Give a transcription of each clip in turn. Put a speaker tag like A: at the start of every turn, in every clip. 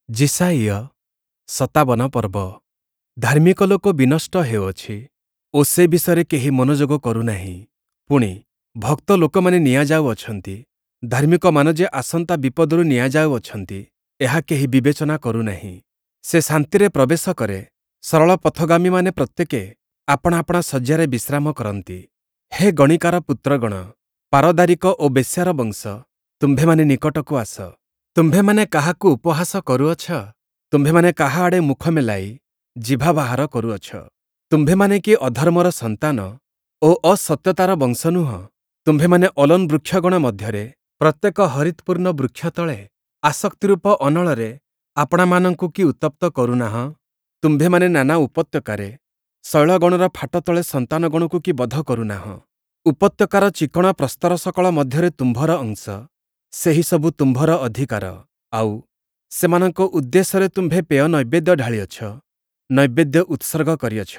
A: ଯିଶାଇୟ 57 ପର୍ବ। ଧାର୍ମିକ ଲୋକ ବିନଷ୍ଟ ହେଉଅଛି ଓ ସେ ବିଷୟରେ କେହି ମନୋଯୋଗ କରୁନାହିଁ। ପୁଣି, ଭକ୍ତ ଲୋକମାନେ ନିଆଯାଉଅଛନ୍ତି। ଧାର୍ମିକମାନ ଯେ ଆସନ୍ତା ବିପଦରୁ ନିଆଯାଉଅଛନ୍ତି, ଏହା କେହି ବିବେଚନା କରୁନାହିଁ। ସେ ଶାନ୍ତିରେ ପ୍ରବେଶ କରେ, ସରଳ ପଥଗାମୀମାନେ ପ୍ରତ୍ୟେକେ ଆପଣା ଆପଣା ଶଯ୍ୟାରେ ବିଶ୍ରାମ କରନ୍ତି। ହେ ଗଣିକାର ପୁତ୍ରଗଣ, ପାରଦାରିକ ଓ ବେଶ୍ୟାର ବଂଶ, ତୁମ୍ଭେମାନେ ନିକଟକୁ ଆସ। ତୁମ୍ଭେମାନେ କାହାକୁ ଉପହାସ କରୁଅଛ? ତୁମ୍ଭେମାନେ କାହା ଆଡ଼େ ମୁଖ ମେଲାଇ ଜିଭା ବାହାର କରୁଅଛ? ତୁମ୍ଭେମାନେ କି ଅଧର୍ମର ସନ୍ତାନ ଓ ଅସତ୍ୟତାର ବଂଶ ନୁହଁ? ତୁମ୍ଭେମାନେ ଅଲୋନ୍ ବୃକ୍ଷଗଣ ମଧ୍ୟରେ ପ୍ରତ୍ୟେକ ହରିତ୍‌ପୂର୍ଣ୍ଣ ବୃକ୍ଷ ତଳେ ଆସକ୍ତିରୂପ ଅନଳରେ ଆପଣାମାନଙ୍କୁ କି ଉତ୍ତପ୍ତ କରୁନାହଁ? ତୁମ୍ଭେମାନେ ନାନା ଉପତ୍ୟକାରେ ଶୈଳଗଣର ଫାଟ ତଳେ ସନ୍ତାନଗଣକୁ କି ବଧ କରୁନାହଁ? ଉପତ୍ୟକାର ଚିକ୍କଣ ପ୍ରସ୍ତର ସକଳ ମଧ୍ୟରେ ତୁମ୍ଭର ଅଂଶ, ସେହିସବୁ ତୁମ୍ଭର ଅଧିକାର। ଆଉ, ସେମାନଙ୍କ ଉଦ୍ଦେଶ୍ୟରେ ତୁମ୍ଭେ ପେୟ ନୈବେଦ୍ୟ ଢାଳିଅଛ, ନୈବେଦ୍ୟ ଉତ୍ସର୍ଗ କରିଅଛ।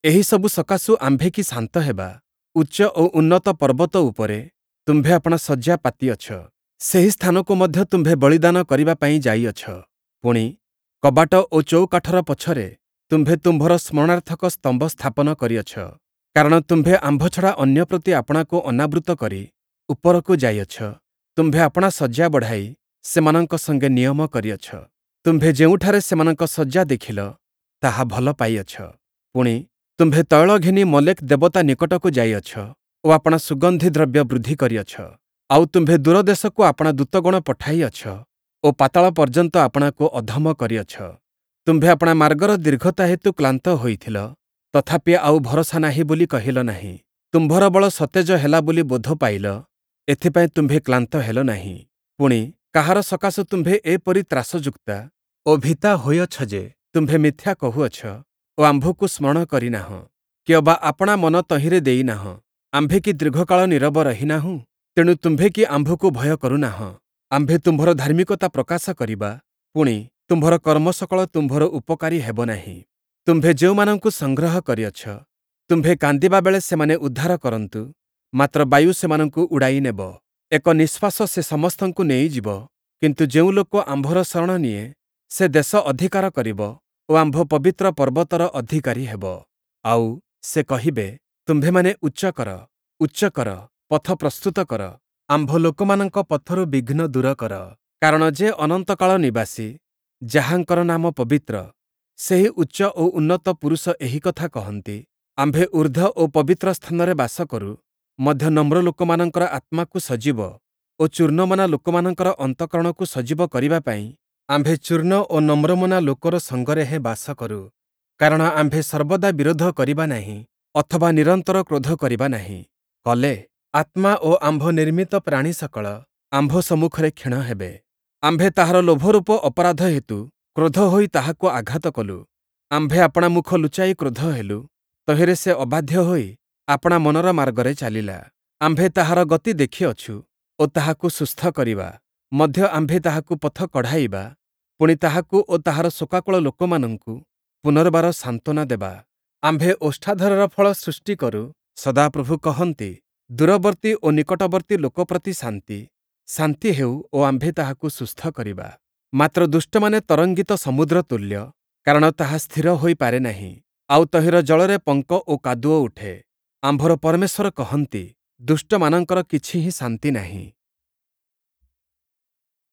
A: ଏହିସବୁ ସକାଶୁ ଆମ୍ଭେ କି ଶାନ୍ତ ହେବା? ଉଚ୍ଚ ଓ ଉନ୍ନତ ପର୍ବତ ଉପରେ ତୁମ୍ଭେ ଆପଣା ଶଯ୍ୟା ପାତିଅଛ, ସେହି ସ୍ଥାନକୁ ମଧ୍ୟ ତୁମ୍ଭେ ବଳିଦାନ କରିବା ପାଇଁ ଯାଇଅଛ। ପୁଣି, କବାଟ ଓ ଚୌକାଠର ପଛରେ ତୁମ୍ଭେ ତୁମ୍ଭର ସ୍ମରଣାର୍ଥକ ସ୍ତମ୍ଭ ସ୍ଥାପନ କରିଅଛ। କାରଣ ତୁମ୍ଭେ ଆମ୍ଭ ଛଡ଼ା ଅନ୍ୟ ପ୍ରତି ଆପଣାକୁ ଅନାବୃତ କରି ଉପରକୁ ଯାଇଅଛ। ତୁମ୍ଭେ ଆପଣା ଶଯ୍ୟା ବଢ଼ାଇ ସେମାନଙ୍କ ସଙ୍ଗେ ନିୟମ କରିଅଛ। ତୁମ୍ଭେ ଯେଉଁଠାରେ ସେମାନଙ୍କ ଶଯ୍ୟା ଦେଖିଲ, ତାହା ଭଲ ପାଇଅଛ। ପୁଣି, ତୁମ୍ଭେ ତୈଳ ଘେନି ମଲେକ୍ ଦେବତା ନିକଟକୁ ଯାଇଅଛ ଓ ଆପଣା ସୁଗନ୍ଧି ଦ୍ରବ୍ୟ ବୃଦ୍ଧି କରିଅଛ। ଆଉ ତୁମ୍ଭେ ଦୂର ଦେଶକୁ ଆପଣା ଦୂତଗଣ ପଠାଇଅଛ ଓ ପାତାଳ ପର୍ଯ୍ୟନ୍ତ ଆପଣାକୁ ଅଧମ କରିଅଛ। ତୁମ୍ଭେ ଆପଣା ମାର୍ଗର ଦୀର୍ଘତା ହେତୁ କ୍ଳାନ୍ତ ହୋଇଥିଲ, ତଥାପି ଆଉ ଭରସା ନାହିଁ ବୋଲି କହିଲ ନାହିଁ। ତୁମ୍ଭର ବଳ ସତେଜ ହେଲା ବୋଲି ବୋଧ ପାଇଲ, ଏଥିପାଇଁ ତୁମ୍ଭେ କ୍ଳାନ୍ତ ହେଲ ନାହିଁ। ପୁଣି, କାହାର ସକାଶୁ ତୁମ୍ଭେ ଏପରି ତ୍ରାସଯୁକ୍ତା ଓ ଭୀତା ହୋଇଅଛ ଯେ ତୁମ୍ଭେ ମିଥ୍ୟା କହୁଅଛ ଓ ଆମ୍ଭକୁ ସ୍ମରଣ କରିନାହଁ, କିଅବା ଆପଣା ମନ ତହିଁରେ ଦେଇନାହଁ? ଆମ୍ଭେ କି ଦୀର୍ଘକାଳ ନୀରବ ରହିନାହୁଁ? ତେଣୁ ତୁମ୍ଭେ କି ଆମ୍ଭକୁ ଭୟ କରୁନାହଁ? ଆମ୍ଭେ ତୁମ୍ଭର ଧାର୍ମିକତା ପ୍ରକାଶ କରିବା, ପୁଣି, ତୁମ୍ଭର କର୍ମସକଳ ତୁମ୍ଭର ଉପକାରୀ ହେବ ନାହିଁ। ତୁମ୍ଭେ ଯେଉଁମାନଙ୍କୁ ସଂଗ୍ରହ କରିଅଛ, ତୁମ୍ଭେ କାନ୍ଦିବା ବେଳେ ସେମାନେ ଉଦ୍ଧାର କରନ୍ତୁ, ମାତ୍ର ବାୟୁ ସେମାନଙ୍କୁ ଉଡ଼ାଇ ନେବ। ଏକ ନିଶ୍ୱାସ ସେ ସମସ୍ତଙ୍କୁ ନେଇଯିବ। କିନ୍ତୁ ଯେଉଁ ଲୋକ ଆମ୍ଭର ଶରଣ ନିଏ, ସେ ଦେଶ ଅଧିକାର କରିବ ଓ ଆମ୍ଭ ପବିତ୍ର ପର୍ବତର ଅଧିକାରୀ ହେବ। ଆଉ, ସେ କହିବେ, ତୁମ୍ଭେମାନେ ଉଚ୍ଚ କର, ଉଚ୍ଚ କର, ପଥ ପ୍ରସ୍ତୁତ କର, ଆମ୍ଭ ଲୋକମାନଙ୍କ ପଥରୁ ବିଘ୍ନ ଦୂର କର। କାରଣ ଯେ ଅନନ୍ତକାଳ ନିବାସୀ, ଯାହାଙ୍କର ନାମ ପବିତ୍ର, ସେହି ଉଚ୍ଚ ଓ ଉନ୍ନତ ପୁରୁଷ ଏହି କଥା କହନ୍ତି, ଆମ୍ଭେ ଊର୍ଦ୍ଧ୍ୱ ଓ ପବିତ୍ର ସ୍ଥାନରେ ବାସ କରୁ, ମଧ୍ୟ ନମ୍ର ଲୋକମାନଙ୍କର ଆତ୍ମାକୁ ସଜୀବ ଓ ଚୂର୍ଣ୍ଣମନା ଲୋକମାନଙ୍କର ଅନ୍ତଃକରଣକୁ ସଜୀବ କରିବା ପାଇଁ ଆମ୍ଭେ ଚୂର୍ଣ୍ଣ ଓ ନମ୍ରମନା ଲୋକର ସଙ୍ଗରେ ହେଁ ବାସ କରୁ। କାରଣ ଆମ୍ଭେ ସର୍ବଦା ବିରୋଧ କରିବା ନାହିଁ, ଅଥବା ନିରନ୍ତର କ୍ରୋଧ କରିବା ନାହିଁ, କଲେ ଆତ୍ମା ଓ ଆମ୍ଭ ନିର୍ମିତ ପ୍ରାଣୀ ସକଳ ଆମ୍ଭ ସମ୍ମୁଖରେ କ୍ଷୀଣ ହେବେ। ଆମ୍ଭେ ତାହାର ଲୋଭରୂପ ଅପରାଧ ହେତୁ କ୍ରୋଧ ହୋଇ ତାହାକୁ ଆଘାତ କଲୁ। ଆମ୍ଭେ ଆପଣା ମୁଖ ଲୁଚାଇ କ୍ରୋଧ ହେଲୁ, ତହିଁରେ ସେ ଅବାଧ୍ୟ ହୋଇ ଆପଣା ମନର ମାର୍ଗରେ ଚାଲିଲା। ଆମ୍ଭେ ତାହାର ଗତି ଦେଖିଅଛୁ ଓ ତାହାକୁ ସୁସ୍ଥ କରିବା, ମଧ୍ୟ ଆମ୍ଭେ ତାହାକୁ ପଥ କଢ଼ାଇବା, ପୁଣି ତାହାକୁ ଓ ତାହାର ଶୋକାକୁଳ ଲୋକମାନଙ୍କୁ ପୁନର୍ବାର ସାନ୍ତ୍ୱନା ଦେବା। ଆମ୍ଭେ ଓଷ୍ଠାଧରର ଫଳ ସୃଷ୍ଟି କରୁ। ସଦାପ୍ରଭୁ କହନ୍ତି, ଦୂରବର୍ତ୍ତୀ ଓ ନିକଟବର୍ତ୍ତୀ ଲୋକ ପ୍ରତି ଶାନ୍ତି, ଶାନ୍ତି ହେଉ ଓ ଆମ୍ଭେ ତାହାକୁ ସୁସ୍ଥ କରିବା। ମାତ୍ର ଦୁଷ୍ଟମାନେ ତରଙ୍ଗିତ ସମୁଦ୍ର ତୁଲ୍ୟ, କାରଣ ତାହା ସ୍ଥିର ହୋଇପାରେ ନାହିଁ, ଆଉ ତହିଁର ଜଳରେ ପଙ୍କ ଓ କାଦୁଅ ଉଠେ। ଆମ୍ଭର ପରମେଶ୍ୱର କହନ୍ତି, ଦୁଷ୍ଟମାନଙ୍କର କିଛି ହିଁ ଶାନ୍ତି ନାହିଁ।